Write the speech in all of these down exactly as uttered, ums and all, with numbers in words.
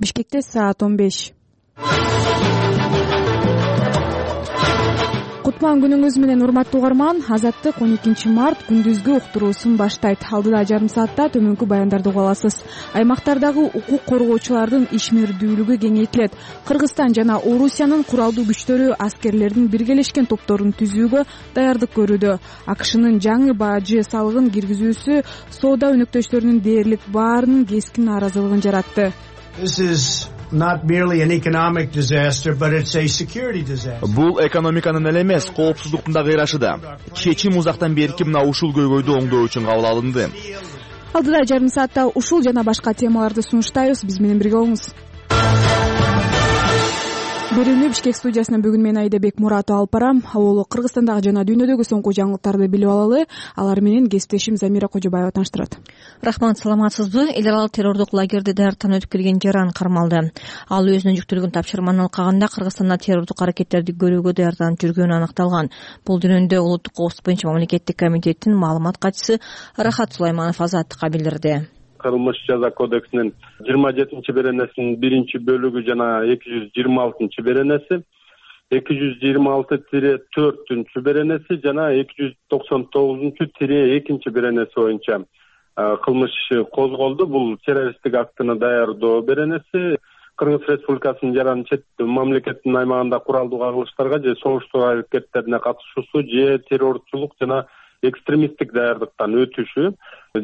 Бишкекте саат он беш. Кутман күнүңүз менен урматтуу угарман. Азаттык он экинчи март күндүзгү уктуруусун баштайт. Алдыда жарым саатта төмөнкү баяндарды уга аласыз. Аймактардагы укук коргоочулардын ишмердүүлүгү кеңейтилет. Кыргызстан жана Орусиянын куралдуу күчтөрү аскерлердин биргелешкен топторун түзүүгө даярдык көрүүдө. АКШнын жаңы бажы салыгын киргизүүсү соода өнөктөштөрүнүн дээрлик баарынын кескин нааразылыгын жаратты. This is not merely an economic disaster, but it's a security disaster. Бул экономиканын эле эмес, коопсуздуктун да кыйрашы да. Чечим узактан берки мына ушул көйгөйдү оңдоо үчүн кабыл алынды. Алдыда жарым саатта ушул жана башка темаларды сунуштайбыз. Биз менен бирге болуңуз. Берүүнү Бишкек студиясынан бүгүн мен Айдабек Муратов алып барам. Аболу Кыргызстандагы жана дүйнөдөгү соңку жаңылыктарды билип алалы. Алар менен кесиптешим Замира Кожобаева тааныштырат. Рахмат, саламатсызбы? Эл аралык террордук лагерде даярдыктан өтүп келген Жаран кармалды. Ал өзүнө жүктөлгөн тапшырманы алкаганда Кыргызстанда террордук аракеттерди көрүүгө даярданып жүргөнү аныкталган. Бул жөнүндө Улуттук коопсуздук боюнча мамлекеттик комитеттин маалымат катчысы Рахат Сулайманов Азаттыкка билдирди. Кылмыш жаза кодексинин жыйырма жетинчи беренесинин биринчи бөлүгү жана эки жүз жыйырма алтынчы беренеси, эки жүз жыйырма алты тире төртүнчү беренеси жана эки жүз токсон тогузунчу тире экинчи беренеси боюнча кылмыш козголду. Бул террористтик актыны даярдоо беренеси. Кыргыз Республикасынын жаран чет мамлекеттин аймагында куралдуу кагылыштарга же согуштуу аракеттерине катышуусу же террорчулук жана экстремисттик даярдыктан өтүшү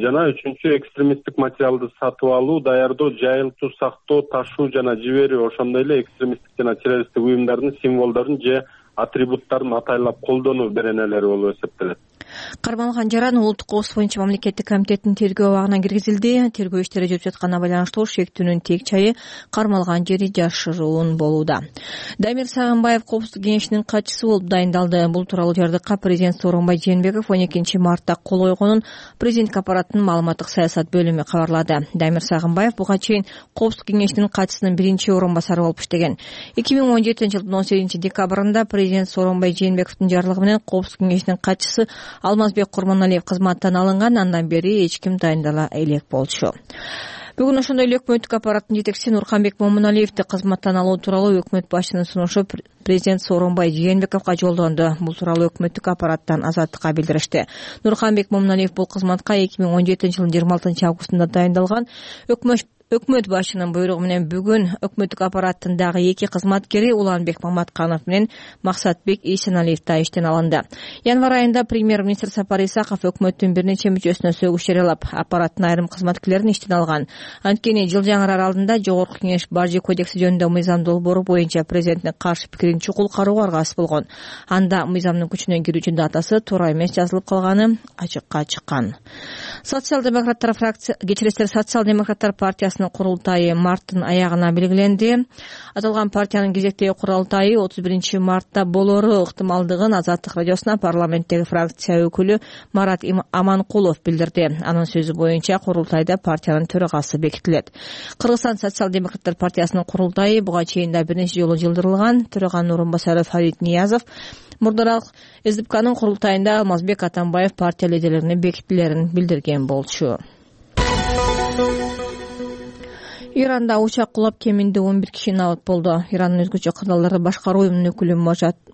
жана үчүнчү экстремисттик материалды сатып алуу, даярдоо, жайылтуу, сактоо, ташуу жана жиберүү, ошондой эле экстремисттик жана террористтик уюмдардын символдорун же атрибуттарын атайлап колдонуу беренелери болуп эсептелет. Кармалган Жаран Улуттук коопсуздук боюнча мамлекеттик комитеттин тергөө абагына киргизилди. Тергөө иштери жүрүп жатканына байланыштуу шектүүнүн тек чайы кармалган жери жашыруун болууда. Дамир Сагынбаев коопсуздук кеңешинин катчысы болуп дайындалды. Бул тууралуу жардыкка президент Сооронбай Жээнбеков он экинчи мартта кол койгонун президенттик аппараттын маалыматтык саясат бөлүмү кабарлады. Дамир Сагынбаев буга чейин коопсуздук кеңешинин катчысынын биринчи орун басары болуп иштеген. эки миң он жетинчи жылдын он сегизинчи декабрында президент Сооронбай Жээнбековдун жарлыгы менен коопсуздук кеңешинин катчысы Алмазбек Курманалиев кызматтан алынган. Андан бери эч ким дайындала элек болчу. Бүгүн ошондой эле өкмөттүк аппараттын жетекчиси Нурканбек Момуналиевди кызматтан алуу тууралуу өкмөт башчынын сунушу президент Сооронбай Жээнбековго жолдонду. Бул тууралуу өкмөттүк аппараттан Азаттыкка билдиришти. Нурканбек Момуналиев бул кызматка эки миң он жетинчи жылдын жыйырма алтынчы августунда дайындалган. Өкмөт Өкмөт башчынын буйругу менен бүгүн өкмөттүк аппараттын дагы эки кызматкери Уланбек Маматканов менен Максатбек Ийсеналиев да иштен алынды. Январь айында премьер-министр Сапар Исаков өкмөттүн бир нече мүчөсүнө сөгүш жарыялап, аппараттын айрым кызматкерлерин иштен алган. Анткени Жылжаңыр аралында Жогорку Кеңеш бажы кодекси жөнүндө мыйзам долбоору боюнча президенттин каршы пикирин чукул кароого аргасыз болгон. Анда мыйзамдын күчүнө кирүүчү датасы туура эмес жазылып калганы ачыкка чыккан. Социал-демократтар фракция кечиресиздер Социал-демократтар партиясынын курултайы марттын аягына белгиленди. Аталган партиянын кезектеги курултайы отуз биринчи мартта болору ыктымалдыгын Азаттык радиосуна парламенттеги фракция өкүлү Марат Аманкулов билдирди. Анын сөзү боюнча курултайда партиянын төрагасы бекитилет. Кыргызстан Социал-демократтар партиясынын курултайы буга чейин да бир нече жолу жылдырылган. Төраганын орун басары Фарид Ниязов мурдараак СДПКнын курултайында Алмазбек Атамбаев партия лидерлерине бекитилерин билдирген болчу. Иранда учак кулап кеминде он бир киши набат болду. Ирандын өзгөчө кырдаалдарды башкаруу уюмунун өкүлү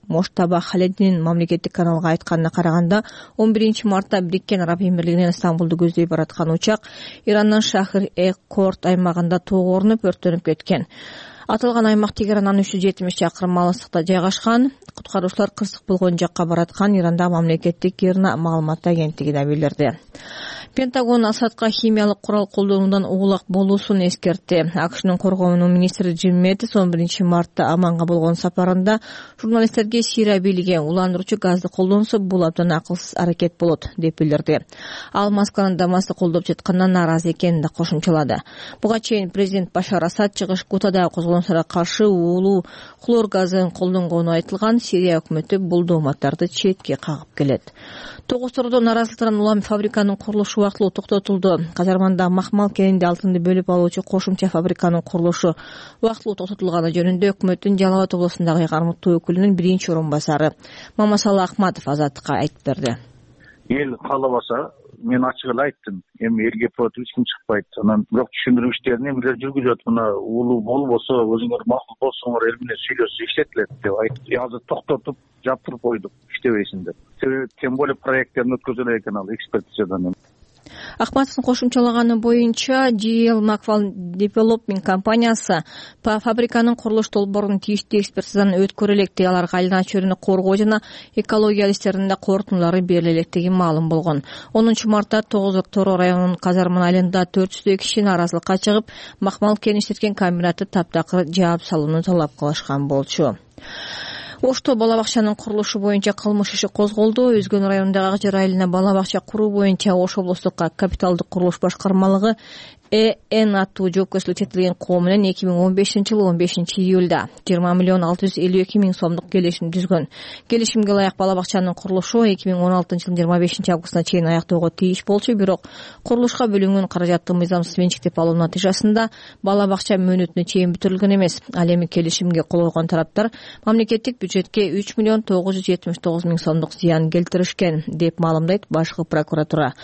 Моштаба Халединин мамлекеттик каналга айтканына караганда он биринчи мартта Бириккен Араб Эмирлигинен Стамбулду көздөй бараткан учак Ирандын Шахр-э-Корт аймагында тоого орнуп өрттөнүп кеткен. Аталган аймак Тегерандан үч жүз жетимиш чакырым алыстыкта жайгашкан. Куткаруучулар кырсык болгон жакка бараткан. Иранда мамлекеттик ИРНА маалымат агенттиги да билдирди. Пентагон Асадка химиялык курал колдонуудан угулак болуусун эскертти. АКШнын коргоонуу министри Джим Мэттис он биринчи мартта Аманга болгон сапарында журналисттерге Сирия бийлиги уландыруучу газды колдонсо бул абдан акылсыз аракет болот деп билдирди. Ал Москванын Дамасты колдоп жатканына нааразы экенин да кошумчалады. Буга чейин президент Башар Асад чыгыш Гутада козголоңторго каршы уулуу хлор газын колдонгону айтылган. Сирия өкмөтү бул дооматтарды четке кагып келет. Тогуз-Тордо наразылыктан улам фабриканын курулушу вактылуу токтотулду. Казарманда махмал кенинде алтынды бөлүп алуучу кошумча фабриканын курулушу вактылуу токтотулганы жөнүндө өкмөттүн Жалал Абад облусундагы Кармыктуу өкүлүнүн биринчи орун басары Мамасалы Акматов Азаттыкка айтып берди. Эл каалабаса мен ачык эле айттым, эми элге против эч ким чыкпайт. Анан бирок түшүндүрүү иштерин эмилер жүргүзөт. Мына улуу болбосо, өзүңөр макул болсоңор эл менен сүйлөшсө иштетилет деп айтып, азыр токтотуп жаптырып койдук, иштебейсиңдер. Себеби тем более проекттерин өткөзөлөр экен ал экспертизадан. Акматовдун кошумчалаганы боюнча джи эл Macval Development компаниясы фабриканын курулуш долбоорун тийиштүү экспертизадан өткөрө электи. Аларга айлана чөйрөнү коргоо жана экология адистеринде корутундулары бериле электиги маалым болгон. онунчу мартта тогуз Октябрь районунун Казарман айылында төрт жүздөй киши нааразылыкка чыгып, макмал кен иштеткен комбинатты таптакыр жаап салууну талап кылышкан болчу. Ошто бала бакчанын курулушу боюнча кылмыш иши козголду. Өзгөн районундагы Ак Жар айылына бала бакча куруу боюнча Ош облустук капиталдык курулуш башкармалыгы Э Н аттуу жоопкерчиликке четилген коо менен эки миң он бешинчи жылы он бешинчи июлда жыйырма миллион алты жүз элүү эки миң сомдук келишим түзгөн. Келишимге ылайык бала бакчанын курулушу эки миң он алтынчы жылдын жыйырма бешинчи августуна чейин аяктоого тийиш болчу, бирок курулушка бөлүнгөн каражатты мыйзамсыз менчиктеп алуу натыйжасында бала бакча мөөнөтүнө чейин бүтүрүлгөн эмес. Ал эми келишимге кол койгон тараптар мамлекеттик бюджетке үч миллион тогуз жүз жетимиш тогуз миң сомдук зыян келтиришкен деп маалымдайт башкы прокуратура.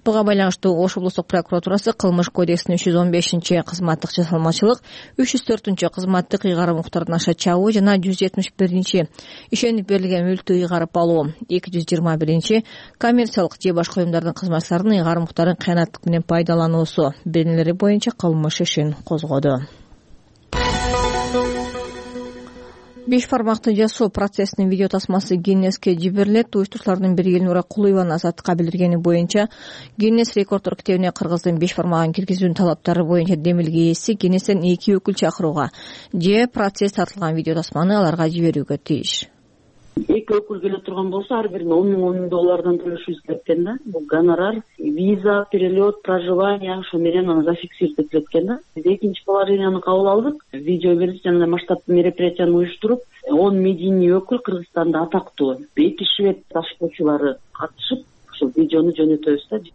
Буга байланыштуу Ош облустук прокуратурасы Кылмыш кодексинин үч жүз он бешинчи кызматтык жасалмачылык, үч жүз төртүнчү кызматтык ыйгарым укуктарын аша чабуу жана жүз жетимиш биринчи ишенип берилген мүлктү ыйгарып алуу, эки жүз жыйырма биринчи коммерциялык же башка уюмдардын кызматчыларынын ыйгарым укуктарын кыянаттык менен пайдалануусу беренелери боюнча кылмыш ишин козгоду. Беш бармакты жасоо процессинин видео тасмасы Гиннеске жиберилет. Уюштуруучулардын бири Элнура Кулуеванын азаттыкка билдиргени боюнча Гиннес рекорддор китебине кыргыздын беш бармагын киргизүүнүн талаптары боюнча демилге ээси Гиннестен эки өкүл чакырууга же процесс тартылган видео тасманы аларга жиберүүгө тийиш. Эки өкүл келе турган болсо ар бирине он миң он миң доллардан төлөшүбүз керек экен да. Бул гонорар, виза, перелет, проживание, ошо менен аны зафиксировать этилет экен да. Биз экинчи положенияны кабыл алдык. Видео берип жана масштабтуу мероприятияны уюштуруп, он медийный өкүл Кыргызстанда атактуу эки швед ташпоочулары катышып, ошол видеону жөнөтөбүз да.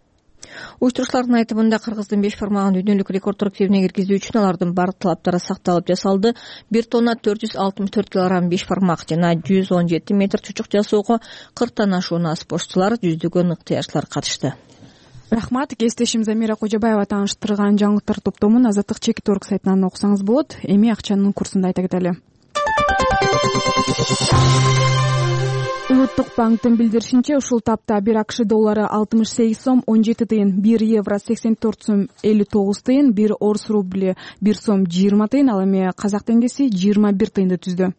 Уюштуруучулардын айтымында кыргыздын беш бармагын дүйнөлүк рекорддор китебине киргизүү үчүн алардын баардык талаптары сакталып жасалды. бир тонна төрт жүз алтымыш төрт килограмм беш бармак жана жүз он жети метр чучук жасоого кырктан ашуун спортчулар, жүздөгөн ыктыярчылар катышты. Рахмат. Кесиптешим Замира Кожобаева тааныштырган жаңылыктар топтомун азаттык чекит орг сайтынан окусаңыз болот. Эми акчанын курсун да айта кетели. Улуттук банктын билдиришинче, ушул тапта бир АКШ доллары алтымыш сегиз сом он жети тыйын, бир евро сексен төрт сом элүү тогуз тыйын, бир орус рубли бир сом жыйырма тыйын, ал эми казак теңгеси жыйырма бир тыйынды түздү.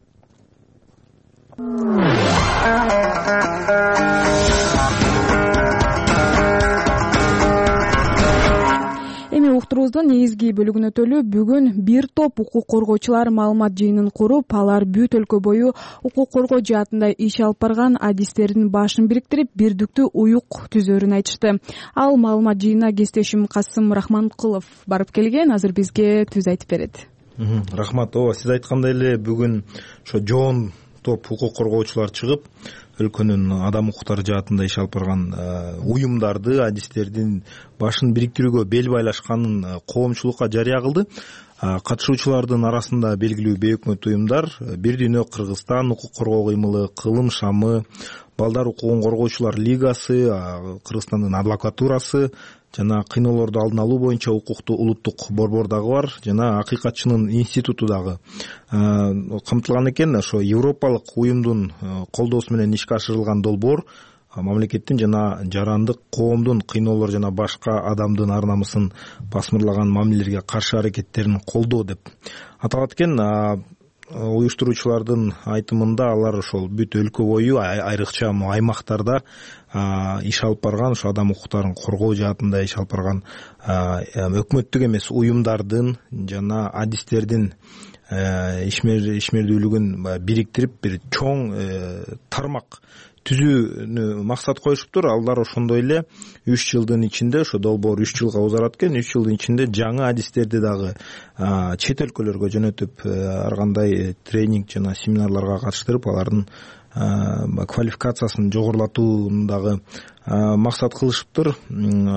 Эми уктуруубуздун негизги бөлүгүнө өтөлү. Бүгүн бир топ укук коргоочулар маалымат жыйынын куруп, алар бүт өлкө бою укук коргоо жаатында иш алып барган адистердин башын бириктирип, бирдиктүү уюк түзөөрүн айтышты. Ал маалымат жыйынына кесиптешим Касым Рахманкулов барып келген, азыр бизге түз айтып берет. Рахмат. Ооба, сиз айткандай эле бүгүн ошо жоон топ укук коргоочулар чыгып, өлкөнүн адам укуктары жаатында иш алып барган уюмдарды, адистердин башын бириктирүүгө бел байлашканын коомчулукка жарыя кылды. Катышуучулардын арасында белгилүү бейөкмөт уюмдар Бир дүйнө Кыргызстан укук коргоо кыймылы, Кылым шамы, Балдар укугун коргоочулар лигасы, Кыргызстандын адвокатурасы жана кыйноолорду алдын алуу боюнча укуктуу улуттук борбор дагы бар, жана Акыйкатчынын институту дагы камтылган экен. Ошо европалык уюмдун колдоосу менен ишке ашырылган долбоор мамлекеттин жана жарандык коомдун кыйноолор жана башка адамдын ар намысын басмырлаган мамилелерге каршы аракеттерин колдоо деп аталат экен. Уюштуруучулардын айтымында алар ошол бүт өлкө бою, айрыкча аймактарда иш алып барган, ошо адам укуктарын коргоо жаатында иш алып барган өкмөттүк эмес уюмдардын жана адистердин ишмердүүлүгүн бириктирип бир чоң тармак түзүүнү максат коюшуптур. Алар ошондой эле үч жылдын ичинде, ошо долбоор үч жылга узарат экен, үч жылдын ичинде жаңы адистерди дагы чет өлкөлөргө жөнөтүп, ар кандай тренинг жана семинарларга катыштырып, алардын квалификациясын жогорулатууну дагы максат кылышыптыр.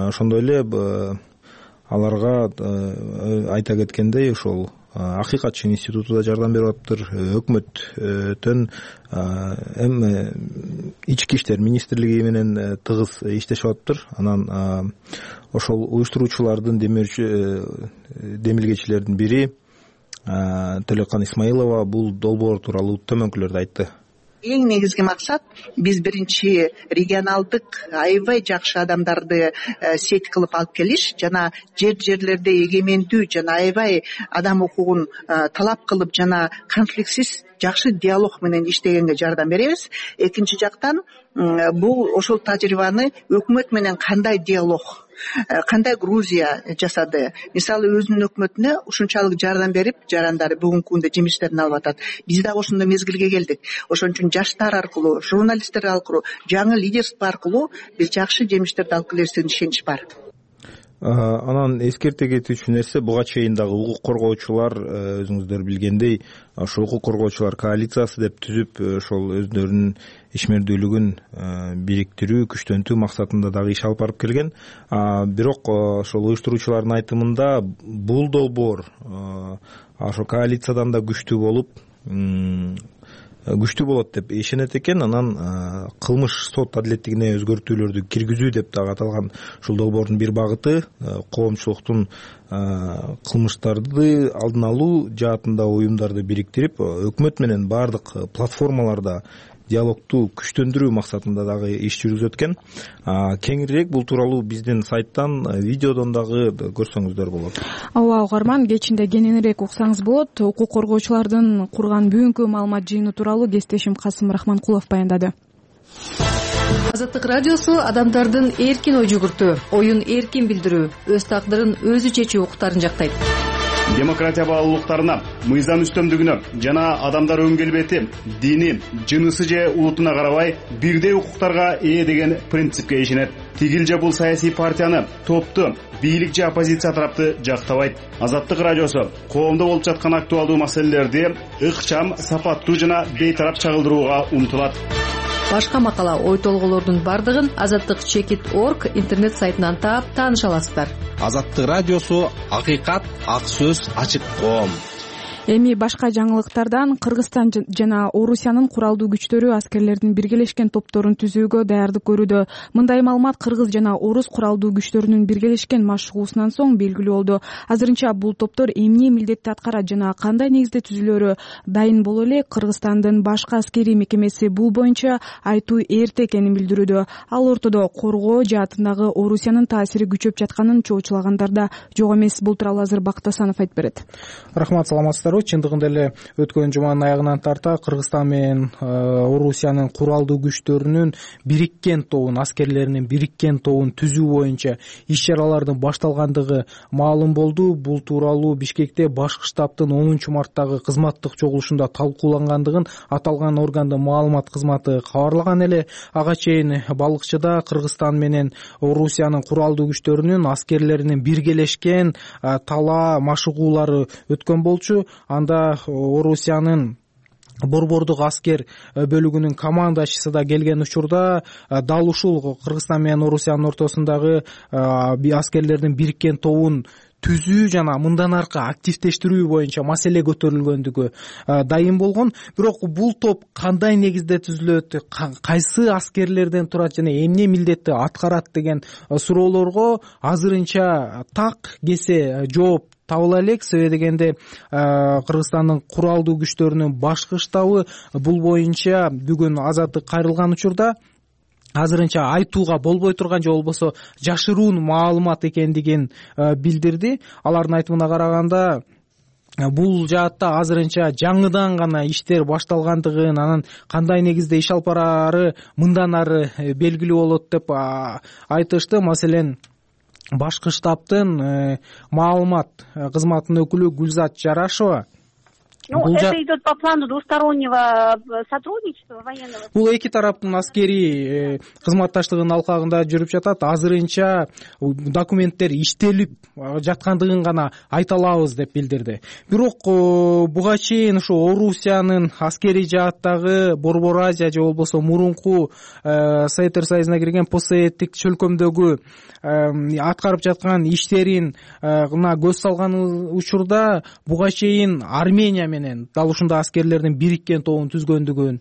Ошондой эле аларга айта кеткендей, ошол акыйкатчы институту да жардам берип атыптыр, өкмөттөн эми ички иштер министрлиги менен тыгыз иштешип атыптыр. Анан ошол уюштуруучулардын демилгечилердин бири Төлөкан Исмаилова бул долбоор тууралуу төмөнкүлөрдү айтты. Эң негизги максат биз биринчи регионалдык аябай жакшы адамдарды сеть кылып алып келиш жана жер жерлерде эгемендүү жана аябай адам укугун талап кылып жана конфликтсиз жакшы диалог менен иштегенге жардам беребиз. Экинчи жактан бул ошол тажрыйбаны өкмөт менен кандай диалог, кандай Грузия жасады, мисалы өзүнүн өкмөтүнө ушунчалык жардам берип жарандары бүгүнкү күндө жемиштерин алып атат. Биз дагы ошондой мезгилге келдик. Ошон үчүн жаштар аркылуу, журналисттер аркылуу, жаңы лидерство аркылуу биз жакшы жемиштерди алып келебиз деген ишенич бар. Анан эскерте кетүүчү нерсе, буга чейин дагы укук коргоочулар өзүңүздөр билгендей ошо укук коргоочулар коалициясы деп түзүп, ошол өздөрүнүн ишмердүүлүгүн бириктирүү, күчтөнтүү максатында дагы иш алып барып келген. Бирок ошол уюштуруучулардын айтымында бул долбоор ошо коалициядан да күчтүү болуп, күчтүү болот деп ишенет экен. Анан кылмыш сот адилеттигине өзгөртүүлөрдү киргизүү деп дагы аталган ушул долбоордун бир багыты коомчулуктун кылмыштарды алдын алуу жаатында уюмдарды бириктирип, өкмөт менен баардык платформаларда диалогту күчтөндүрүү максатында дагы иш жүргүзүп өткөн. Кеңирээк бул тууралуу биздин сайттан, видеодон дагы көрсөңүздөр болот. Ооба, угарман, кечинде кененирээк уксаңыз болот. Укук коргоочулардын курган бүгүнкү маалымат жыйыны тууралуу кесиптешим Касым Рахманкулов баяндады. Азаттык радиосу адамдардын эркин ой жүгүртүү, оюн эркин билдирүү, өз тагдырын өзү чечүү укуктарын жактайт. Демократия баалуулуктарына, мыйзам үстөмдүгүнө жана адамдар өн келбети, дини, жынысы же улутуна карабай бирдей укуктарга ээ деген принципке ишенет. Тигил же бул саясий партияны, топту, бийлик же оппозиция тарапты жактабайт. Азаттык радиосу коомдо болуп жаткан актуалдуу маселелерди ыкчам, сапаттуу жана бейтарап чагылдырууга умтулат. Башка макала, ой толголордун бардыгын азаттык чекит точка орг интернет сайтынан таап тааныша аласыздар. Азаттык радиосу акыйкат, ак сөз, ачык коом. Эми башка жаңылыктардан Кыргызстан жана Орусиянын куралдуу күчтөрү аскерлердин биргелешкен топторун түзүүгө даярдык көрүүдө. Мындай маалымат Кыргыз жана Орус куралдуу күчтөрүнүн биргелешкен машыгуусунан соң белгилүү болду. Азырынча бул топтор эмне милдетти аткарат жана кандай негизде түзүлөрү дайын боло элек, Кыргызстандын башкы аскерий мекемеси бул боюнча айтуу эрте экенин билдирүүдө. Ал ортодо коргоо жаатындагы Орусиянын таасири күчөп жатканын чоочулагандар да жок эмес. Бул тууралуу азыр Бакыт Асанов айтып берет. Рахмат, саламатсыздарбы. Чындыгында эле өткөн жуманын аягынан тарта Кыргызстан менен Орусиянын куралдуу күчтөрүнүн бириккен тобун, аскерлеринин бириккен тобун түзүү боюнча иш-чаралардын башталгандыгы маалым болду. Бул тууралуу Бишкекте башкы штабтын онунчу марттагы кызматтык чогулушунда талкуулангандыгын аталган органдын маалымат кызматы кабарлаган эле. Ага чейин Балыкчыда Кыргызстан менен Орусиянын куралдуу күчтөрүнүн аскерлеринин биргелешкен талаа машыгуулары өткөн болчу. Анда Орусиянын борбордук аскер бөлүгүнүн командачысы да келген учурда дал ушул Кыргызстан менен Орусиянын ортосундагы аскерлердин бириккен тобун түзүү жана мындан аркы активдештирүү боюнча маселе көтөрүлгөндүгү дайын болгон. Бирок бул топ кандай негизде түзүлөт, кайсы аскерлерден турат жана эмне милдетти аткарат деген суроолорго азырынча так кесе жооп табыла элек. Себеби дегенде Кыргызстандын куралдуу күчтөрүнүн башкы штабы бул боюнча бүгүн азаттык кайрылган учурда азырынча айтууга болбой турган же болбосо жашыруун маалымат экендигин билдирди. Алардын айтымына караганда бул жаатта азырынча жаңыдан гана иштер башталгандыгын, анан кандай негизде иш алып бараары мындан ары белгилүү болот деп айтышты. Маселен, башкы штабтын маалымат кызматынын өкүлү Гүлзат Жарашева Ну, это идет по плану двустороннего сотрудничества военного. Бул эки тараптын аскерий кызматташтыгынын алкагында жүрүп жатат. Азырынча документтер иштелип жаткандыгын гана айта алабыз деп билдирди. Бирок буга чейин ушу Орусиянын аскерий жааттагы Борбор Азия же болбосо мурунку Советтер Союзуна кирген постсоветтик чөлкөмдөгү аткарып жаткан иштерин көз салган учурда буга чейин Армения менен дал ушундай аскерлердин бириккен тобун түзгөндүгүн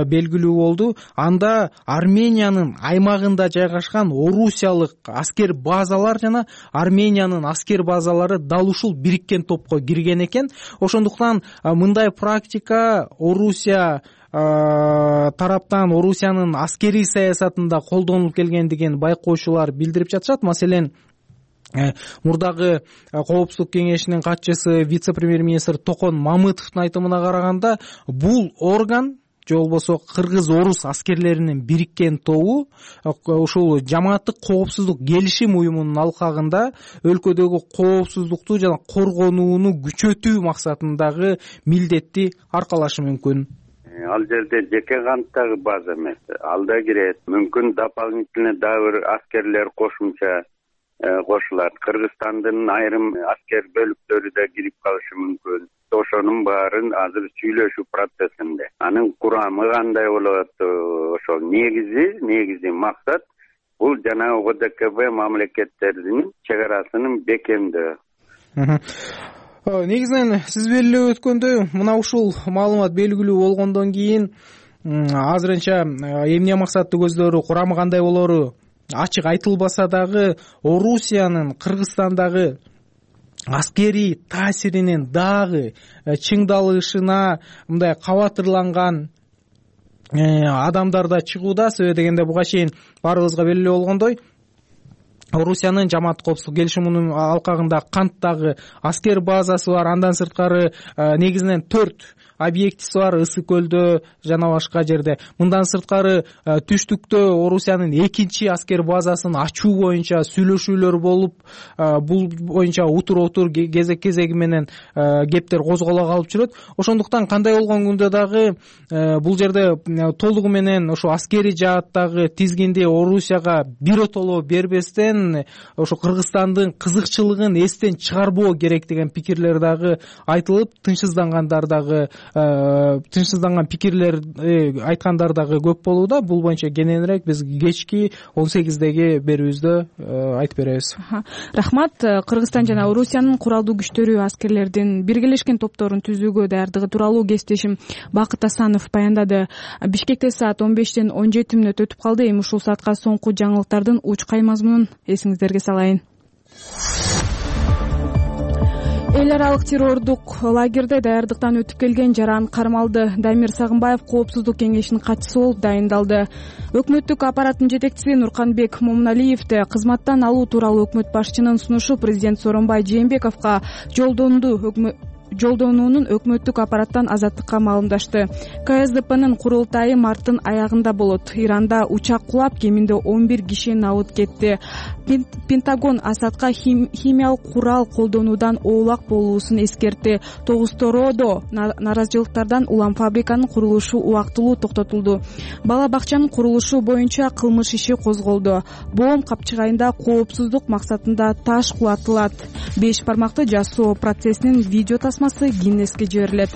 белгилүү болду. Анда Армениянын аймагында жайгашкан орусиялык аскер базалар жана Армениянын аскер базалары дал ушул бириккен топко кирген экен. Ошондуктан мындай практика Орусия тараптан Орусиянын аскерий саясатында колдонулуп келгендигин байкоочулар билдирип жатышат. Маселен, мурдагы Коопсуздук кеңешинин катчысы вице-премьер-министр Токон Мамытовдун айтымына караганда, бул орган же болбосо кыргыз-орус аскерлеринин бириккен тобу ушул жамааттык коопсуздук келишим уюмунун алкагында өлкөдөгү коопсуздукту жана коргонууну күчөтүү максатындагы милдетти аркалашы мүмкүн. Ал жерде жеке канттагы база эмес, ал да кирет. Мүмкүн дополнительный дагы бир аскерлер кошумча кошулат. Кыргызстандын айрым аскер бөлүктөрү да кирип калышы мүмкүн. Ошонун баарын азыр сүйлөшүү процессинде. Анын курамы кандай болот? Ошол негизи, негизи максат бул жанагы О Д К Б мамлекеттеринин чек арасынын бекемдөө. Негизинен сиз белгилеп өткөндөй, мына ушул маалымат белгилүү болгондон кийин азырынча эмне максаттуу көздөрү, курамы кандай болору ачык айтылбаса дагы, Орусиянын Кыргызстандагы аскерий таасиринин дагы чыңдалышына мындай кабатырланган адамдар да чыгууда. Себеби дегенде буга чейин баарыбызга белгилүү болгондой, Орусиянын жамааттык коопсуздук келишиминин алкагында Канттагы аскер базасы бар. Андан сырткары негизинен төрт объектиси бар Ысык көлдө жана башка жерде. Мындан сырткары түштүктө Орусиянын экинчи аскер базасын ачуу боюнча сүйлөшүүлөр болуп, бул боюнча утур-отур кезек-кезеги менен кептер козголо калып жүрөт. Ошондуктан кандай болгон күндө дагы бул жерде толугу менен ошо аскерий жааттагы тизгинди Орусияга биротоло бербестен ошо Кыргызстандын кызыкчылыгын эстен чыгарбоо керек деген пикирлер дагы айтылып, тынчсыздангандар дагы тынчсызданган пикирлер айткандар дагы көп болууда. Бул боюнча кененирээк биз кечки он сегиздеги берүүбүздө айтып беребиз. Рахмат. Кыргызстан жана Орусиянын куралдуу күчтөрү аскерлердин биргелешкен топторун түзүүгө даярдыгы тууралуу кесиптешим Бакыт Асанов баяндады. Бишкекте саат он бештен он жети мүнөт өтүп калды. Эми ушул саатка соңку жаңылыктардын учкай мазмунун эсиңиздерге салайын. Эл аралык террордук лагерде даярдыктан өтүп келген жаран кармалды. Дамир Сагынбаев Коопсуздук кеңешинин катчысы болуп дайындалды. Өкмөттүк аппараттын жетекчиси Нурканбек Момуналиевди кызматтан алуу тууралуу өкмөт башчынын сунушу президент Сооронбай Жээнбековго жолдонду. Жолдонуунун өкмөттүк аппараттан Азаттыкка маалымдашты. К С Д П'нын курултайы марттын аягында болот. Иранда учак кулап, кеминде он бир киши набыт кетти. Пентагон Асадка химиялык курал колдонуудан оолак болуусун эскертти. Тогуз-Тородо нааразычылыктардан улам фабриканын курулушу убактылуу токтотулду. Бала бакчанын курулушу боюнча кылмыш иши козголду. Боом капчыгайында коопсуздук максатында таш кулатылат. Беш бармакты жасоо процессинин видео тасмасы Гиннеске жиберилет.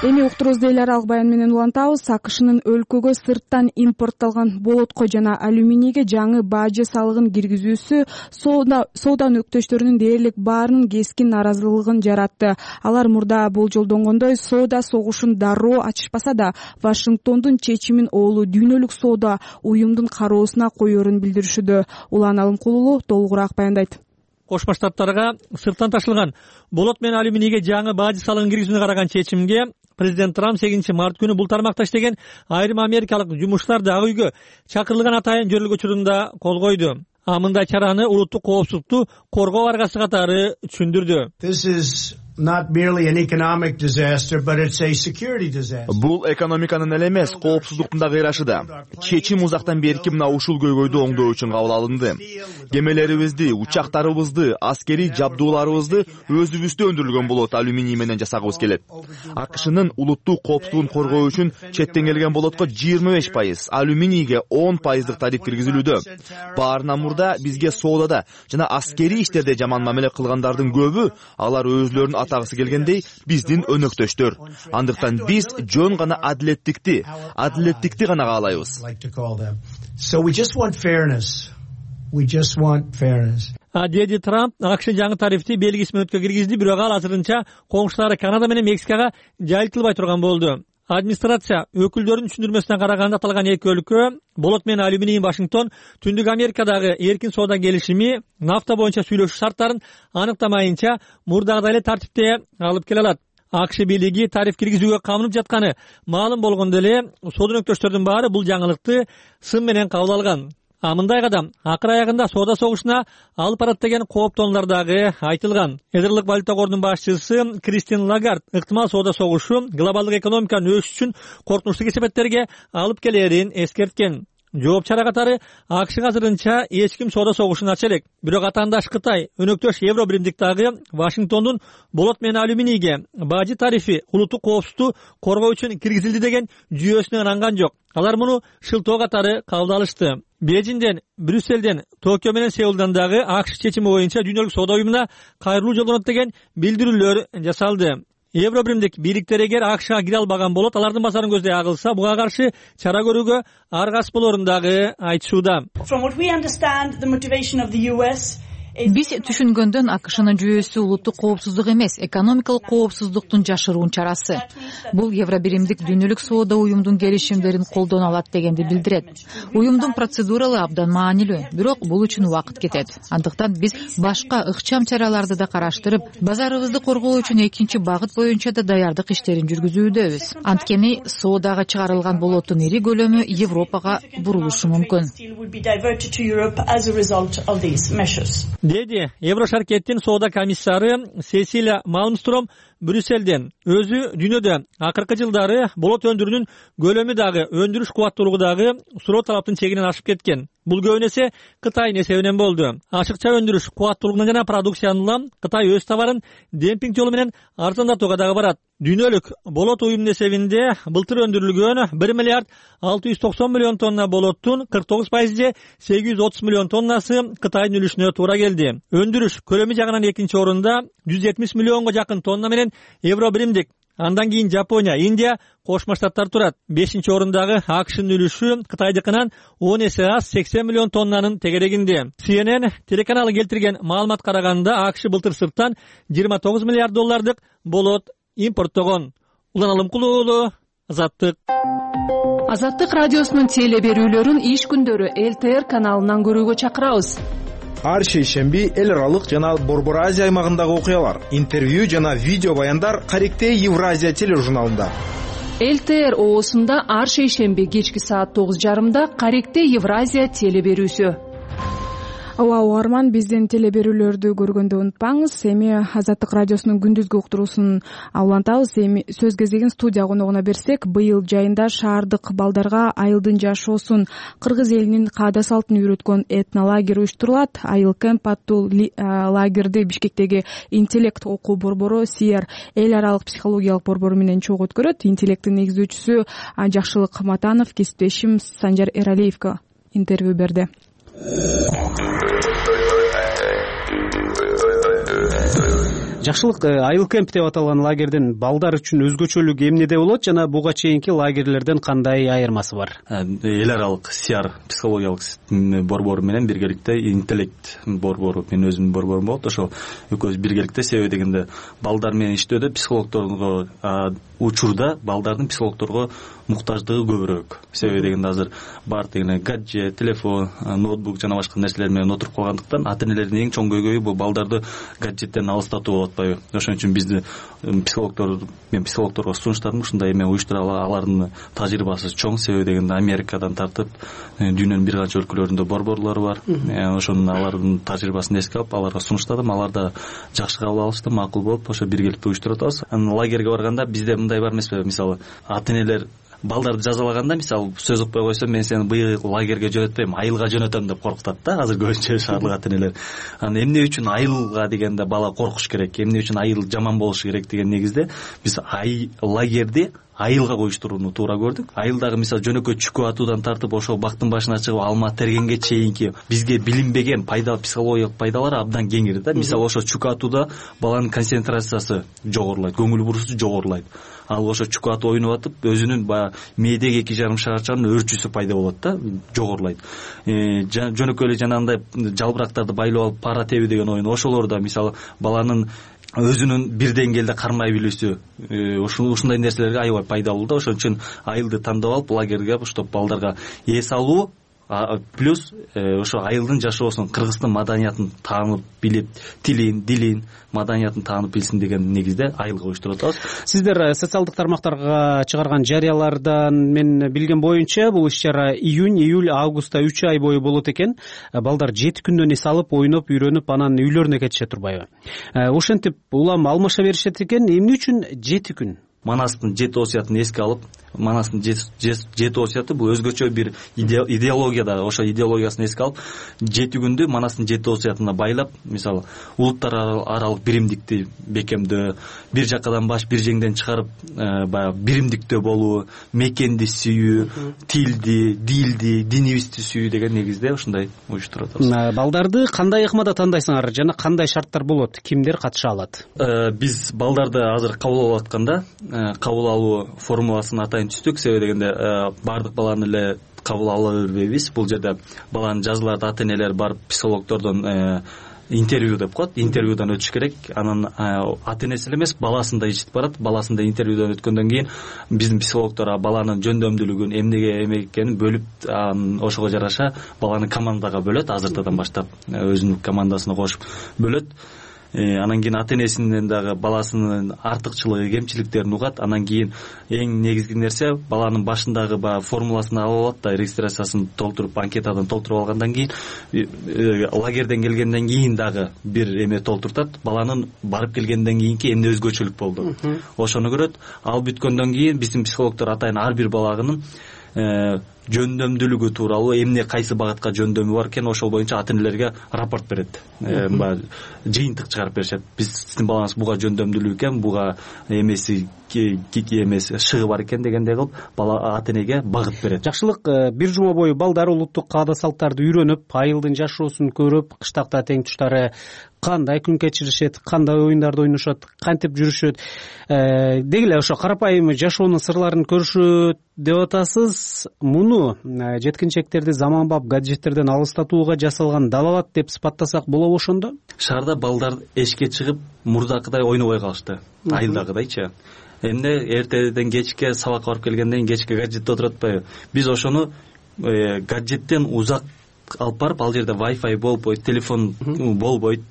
Эми уктуруубузду эл аралык баян менен улантабыз. АКШнын өлкөгө сырттан импортталган болотко жана алюминийге жаңы бажы салыгын киргизүүсү соода өнөктөштөрүнүн дээрлик баарынын кескин нааразылыгын жаратты. Алар мурда болжолдонгондой соода согушун дароо ачышпаса да, Вашингтондун чечимин оолу дүйнөлүк соода уюмдун кароосуна коерун билдиришүүдө. Улан Алымкулулу толугураак баяндайт. Кошмо Штаттарга сырттан ташылган болот менен алюминийге жаңы бажы салыгын киргизүүнү караган чечимге президент Трамп сегизинчи март күнү бул тармакта иштеген айрым америкалык жумушчуларды ак үйгө чакырылган атайын жөрөлгө учурунда кол койду. А мындай чараны улуттук коопсуздукту коргоо аргасы катары түшүндүрдү. This is not merely an economic disaster, but it's a security disaster. Бул экономиканын эле эмес, коопсуздуктун да кыйрашы да. Чечим узактан берки мына ушул көйгөйдү оңдоо үчүн кабыл алынды. Кемелерибизди, учактарыбызды, аскерий жабдууларыбызды өзүбүздө өндүрүлгөн болот алюминий менен жасагыбыз келет. АКШнын улуттук коопсуздугун коргоо үчүн четтен келген болотко жыйырма беш пайыз, алюминийге он пайыздык тариф киргизилүүдө. Баарынан мурда бизге соодада жана аскерий иштерде жаман мамиле кылгандардын көбү, алар өзлөрүн атагысы келгендей биздин өнөктөштөр. Андыктан биз жөн гана адилеттикти, адилеттикти гана каалайбыз. So we just want fairness. We just want fairness. Деди Трамп АКШ жаңы тарифти белгисиз мөөнөткө киргизди, бирок ал азырынча коңшулары Канада менен Мексикага жайылтылбай турган болду. Администрация өкүлдөрүнүн түшүндүрмөсүнө караганда аталган эки өлкө болот менен алюминий Вашингтон Түндүк Америкадагы эркин соода келишими нафта боюнча сүйлөшүү шарттарын аныктамайынча мурдагыдай эле тартипте алып келе алат. АКШ бийлиги тариф киргизүүгө камынып жатканы маалым болгондо эле соода өнөктөштөрдүн баары бул жаңылыкты сын менен кабыл алган. А мындай кадам акыр аягында соода согушуна алып барат деген кооптонуулар дагы айтылган. Эдерлик валюта корунун башчысы Кристин Лагард ыктымал соода согушу глобалдык экономиканын өсүшү үчүн коркунучтуу кесепеттерге алып келерин эскерткен. Жооп чара катары АКШ азырынча эч ким соода согушун ача элек. Бирок атаандаш Кытай, өнөктөш Евро биримдиктагы Вашингтондун болот менен алюминийге бажы тарифи улуттук коопсуздукту коргоо үчүн киргизилди деген жүйөсүнө ынанган жок. Алар муну шылтоо катары кабыл алышты. Бейжиңден, Брюсселден, Токио менен Сеулдан дагы АКШ чечими боюнча дүйнөлүк соода уюмуна кайрылуу жолдонот деген билдирүүлөр жасалды. Евро биримдик бийликтер эгер АКШга кире албаган болот, алардын базарын көздөй агылса, буга каршы чара көрүүгө аргасыз болорун дагы айтышууда. Биз түшүнгөндөн АКШнын жүйөсү улуттук коопсуздук эмес, экономикалык коопсуздуктун жашыруун чарасы. Бул Евро биримдик дүйнөлүк соода уюмдун келишимдерин колдоно алат дегенди билдирет. Уюмдун процедуралы абдан маанилүү, бирок бул үчүн убакыт кетет. Андыктан биз башка ыкчам чараларды да караштырып, базарыбызды коргоо үчүн экинчи багыт боюнча да даярдык иштерин жүргүзүүдөбүз. Анткени соодага чыгарылган болоттун ири көлөмү Европага бурулушу мүмкүн. Деди Евро шаркеттин соода комиссары Сесилия Малмстром Брюсселден. Өзү дүйнөдө акыркы жылдары болот өндүрүүнүн көлөмү дагы, өндүрүш кубаттуулугу дагы суроо талаптын чегинен ашып кеткен. Бул көбүн эсе Кытайдын эсебинен болду. Ашыкча өндүрүш кубаттуулугунан жана продукциянын Кытай өз товарын демпинг жолу менен арзандатууга дагы барат. Дүйнөлүк болот уюмунун эсебинде былтыр өндүрүлгөн бир миллиард алты жүз токсон миллион тонна болоттун кырк тогуз пайызы же сегиз жүз отуз миллион тоннасы Кытайдын үлүшүнө туура келди. Өндүрүш көлөмү жагынан экинчи орунда жүз жетимиш миллионго жакын тонна менен Евро биримдик. Андан кийин Жапония, Индия, Кошмо Штаттар турат. бешинчи орундагы АКШнын үлүшү Кытайдыкынан он эсе аз сексен миллион тоннанын тегерегинде. Си Эн Эн телеканалы келтирген маалымат караганда АКШ былтыр сырттан жыйырма тогуз миллиард доллардык болот импорттогон. Улан Алымкулуу, Азаттык. Азаттык радиосунун теле берүүлөрүн иш күндөрү Эл Тэ Эр каналынан көрүүгө чакырабыз. Ар шейшемби эл аралык жана Борбор Азия аймагындагы окуялар, интервью жана видео баяндар Каректей Евразия тележурналында. Эл Тэ Эр оосунда ар шейшемби кечки саат тогуз жарымда Каректей Евразия теле берүүсү. Ооба, угарман, биздин теле берүүлөрдү көргөндө унутпаңыз. Эми Азаттык радиосунун күндүзгү уктуруусун улантабыз. Эми сөз кезегин студия коногуна берсек, быйыл жайында шаардык балдарга айылдын жашоосун, кыргыз элинин каада салтын үйрөткөн этнолагерь уюштурулат. Айыл кемп аттуу лагерди Бишкектеги интеллект окуу борбору Сиер эл аралык психологиялык борбору менен чогуу өткөрөт. Интеллекттин негиздөөчүсү Жакшылык Матанов кесиптешим Санжар Эралиевге интервью берди. Жакшылык, айыл кемп деп аталган лагердин балдар үчүн өзгөчөлүгү эмнеде болот жана буга чейинки лагерлерден кандай айырмасы бар? Эл аралык Сиар психологиялык борбору менен биргеликте интеллект борбору, мен өзүмдүн борборум болот. Ошол экөөбүз биргеликте, себеби дегенде балдар менен иштөөдө психологдорго учурда балдардын психологдорго муктаждыгы көбүрөөк. Себеби дегенде азыр бар дегенде гаджет, телефон, ноутбук жана башка нерселер менен отуруп калгандыктан ата энелердин эң чоң көйгөйү бул балдарды гаджеттен алыстатуу болот. атпайбы. Ошон үчүн бизди психологдор мен психологдорго сунуштадым ушундай эме уюштура алардын тажрыйбасы чоң. Себеби дегенде Америкадан тартып дүйнөнүн бир канча өлкөлөрүндө борборлор бар. Ошонун алардын тажрыйбасын эске алып аларга сунуштадым. Алар да жакшы кабыл алышты, макул болуп ошо биргеликте уюштуруп атабыз. Анан лагерге барганда bizde мындай бар эмеспи? Мисалы ата энелер балдарды жазалаганда, мисалы сөз укпай койсо мен сени быйыл лагерге жөнөтпөйм, айылга жөнөтөм деп коркутат да азыр көбүнчө шаардык ата энелер. Анан эмне үчүн айылга дегенде бала коркуш керек, эмне үчүн айыл жаман болушу керек деген негизде биз ай лагерди айылга коюштурууну туура көрдүк. Айылдагы мисалы жөнөкөй чүкө атуудан тартып ошол бактын башына чыгып алма тергенге чейинки бизге билинбеген пайда психологиялык пайдалары абдан кеңири да. Мисалы ошо чүкө атууда баланын концентрациясы жогорулайт, көңүл бурусу жогорулайт. Ал ошо чүкө атып ойноп атып өзүнүн баягы мээдеги эки жарым шарчанын өрчүсү пайда болот да, жогорулайт. Жөнөкөй эле жанагындай жалбырактарды байлап алып пара тебүү деген оюн ошолор да мисалы баланын өзүнүн бир деңгээлде кармай билүүсү ушундай нерселерге аябай пайдалуу да. Ошон үчүн айылды тандап алып лагерге уштап балдарга эс алуу плюс ошо айылдын жашоосун, кыргыздын маданиятын таанып билип, тилин, дилин, маданиятын таанып билсин деген негизде айылга коюштуруп атабыз. Сиздер социалдык тармактарга чыгарган жарыялардан мен билген боюнча бул иш-чара июнь, июль, августта үч ай бою болот экен. Балдар жети күндөн эс алып, ойноп, үйрөнүп, анан үйлөрүнө кетишет турбайбы? Ошентип улам алмаша беришет экен. Эмне үчүн жети күн? Манастын жети осуятын эске алып, Манастын жети осуяты бул өзгөчө бир идеологияда, ошо идеологиясын эске алып, жети күндү Манастын жети осуятына байлап, мисалы, улуттар аралык биримдикти бекемдөө, бир жакадан баш бир жеңден чыгарып, баягы биримдиктөө болуу, мекенди сүйүү, тилди, дилди, динибизди сүйүү деген негизде ушундай уюштуруп атабыз. Балдарды кандай ыкмада тандайсыңар жана кандай шарттар болот? Кимдер катыша алат? Биз балдарды азыр кабыл алып атканда, кабыл алуу формуласын атайын түздүк. Себеби дегенде баардык баланы эле кабыл ала бербейбиз. Бул жерде баланын жазыларды ата энелер барып психологдордон интервью деп коет, интервьюдан өтүш керек. Анан ата энеси эле эмес, баласын да ичип барат. Баласын да интервьюдан өткөндөн кийин биздин психологдор баланын жөндөмдүүлүгүн, эмнеге эме экенин бөлүп, ошого жараша баланы командага бөлөт. Азыртадан баштап өзүнүн командасына кошуп бөлөт. Анан кийин ата энесинен дагы баласынын артыкчылыгы, кемчиликтерин угат. Анан кийин эң негизги нерсе баланын башындагы баягы формуласын алып алат да, регистрациясын толтуруп, анкетадан толтуруп алгандан кийин лагерден келгенден кийин дагы бир эме толтуртат. Баланын барып келгенден кийинки эмне өзгөчөлүк болду, ошону көрөт. Ал бүткөндөн кийин биздин психологдор атайын ар бир баланын жөндөмдүүлүгү тууралуу, эмне кайсы багытка жөндөмү бар экен, ошол боюнча ата энелерге рапорт берет. Баягы жыйынтык чыгарып беришет. Биз сиздин балаңыз буга жөндөмдүүлүк экен, буга эмеси кики эмес шыгы бар экен дегендей кылып бала ата энеге багыт берет. Жакшылык, бир жума бою балдар улуттук каада салттарды үйрөнүп, айылдын жашоосун көрүп, кыштакта тең туштары кандай күн кечиришет, кандай оюндарды ойношот, кантип жүрүшөт, деги эле ошо карапайым жашоонун сырларын көрүшөт деп атасыз. Муну жеткинчектерди заманбап гаджеттерден алыстатууга жасалган далалат деп сыпаттасак болобу ошондо? Шаарда балдар эшикке чыгып мурдакыдай ойнобой калышты, айылдагыдайчы. Эмне эртеден кечке сабакка барып келгенден кийин кечке гаджетте отуруп атпайбы? Биз ошону гаджеттен узак алып барып, ал жерде Wi-Fi болбойт, телефон болбойт,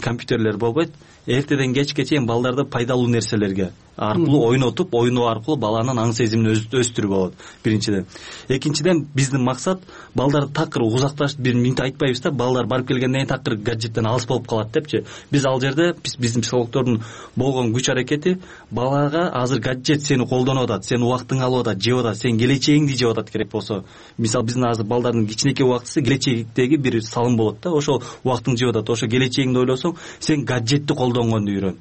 компьютерлер болбойт. Эртеден кечке чейин балдарды пайдалуу нерселерге аркылуу ойнотуп, ойноо аркылуу баланын аң сезимин өстүрүү болот. Биринчиден. Экинчиден биздин максат балдарды такыр узакташып бир минут айтпайбыз да, балдар барып келгенден кийин такыр гаджеттен алыс болуп калат депчи. Биз ал жерде биздин психологдордун болгон күч аракети балага азыр гаджет сени колдонуп атат, сенин убактыңды алып атат, жеп атат, сенин келечегиңди жеп атат керек болсо. Мисалы биздин азыр балдардын кичинекей убактысы келечектеги бир салым болот да, ошол убактыңды жеп атат. Ошо келечегиңди ойлосоң, сен гаджетти колдонгонду үйрөн.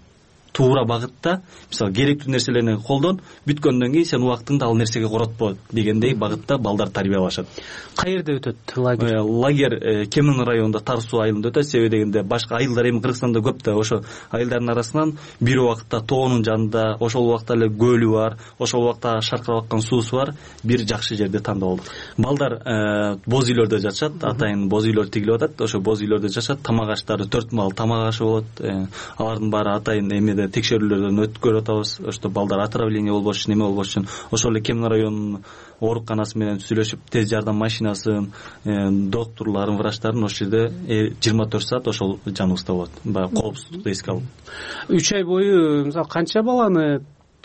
Туура багытта, мисалы керектүү нерселерди колдон, бүткөндөн кийин сен убактыңды ал нерсеге коротпо дегендей багытта балдар тарбиялашат. Каерде өтөт лагерь? Лагерь Кемин районунда Тар суу айылында өтөт. Себеби дегенде башка айылдар эми Кыргызстанда көп да, ошо айылдардын арасынан бир убакытта тоонун жанында, ошол убакта эле көлү бар, ошол убакта шаркырап аткан суусу бар, бир жакшы жерди тандап алдык. Балдар боз үйлөрдө жашашат, атайын боз үйлөр тигилип атат. Ошо боз үйлөрдө жашашат, тамак аштары төрт маал тамак ашы болот. Алардын баары атайын эме жерде текшерүүлөрдөн өткөрүп атабыз. Ошто балдар отравление болбош үчүн, эме болбош үчүн ошол эле Кемин районунун ооруканасы менен сүйлөшүп, тез жардам машинасын, доктурларын, врачтарын ошол жерде жыйырма төрт саат ошол жаныбызда болот. Баягы коопсуздукту эске алып. үч ай бою мисалы канча баланы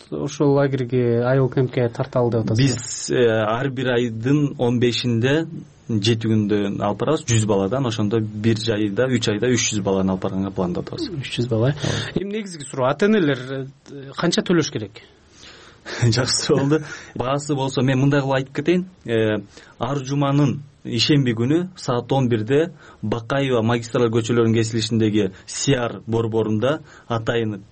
ошол лагерге, айыл кемпке тарталы деп атасыз? Биз ар бир айдын он бешинде жети күндө алып барабыз жүз баладан, ошондо бир айда үч айда үч жүз баланы алып барганга пландап атабыз. үч жүз бала. Эми негизги суроо, ата энелер канча төлөш керек? Жакшы болду. Баасы болсо мен мындай кылып айтып кетейин. Ар жуманын ишемби күнү саат он бирде Бакаева магистраль көчөлөрүнүн кесилишиндеги Сиар борборунда атайын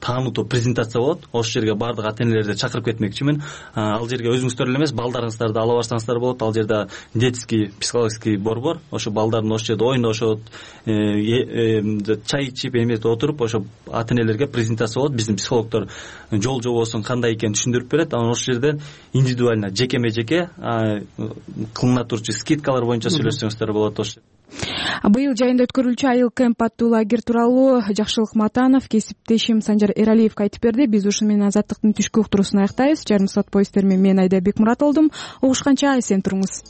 таанутуу презентация болот. Ошол жерге бардык ата энелерди чакырып кетмекчимин. Ал жерге өзүңүздөр эле эмес, балдарыңыздарды ала барсаңыздар болот. Ал жерде детский психологический борбор, ошо балдардын ошол жерде ойношот, чай ичип эметип отуруп, ошо ата энелерге презентация болот. Биздин психологдор жол жобосун кандай экенин түшүндүрүп берет. Анан ошол жерден индивидуально жекеме жеке кылына турчу скидкалар боюнча сүйлөшсөңүздөр болот. Ошо быйыл жайында өткөрүлчү айыл кемп аттуу лагерь тууралуу Жакшылык Матанов, кесиптешим Санжар Эралиевге айтып берди. Биз ушу менен Азаттыктын түшкү уктуруусун аяктайбыз. Жарым саат бою сиздер менен мен Айда Бекмурат болдум. Угушканча эсен туруңуз.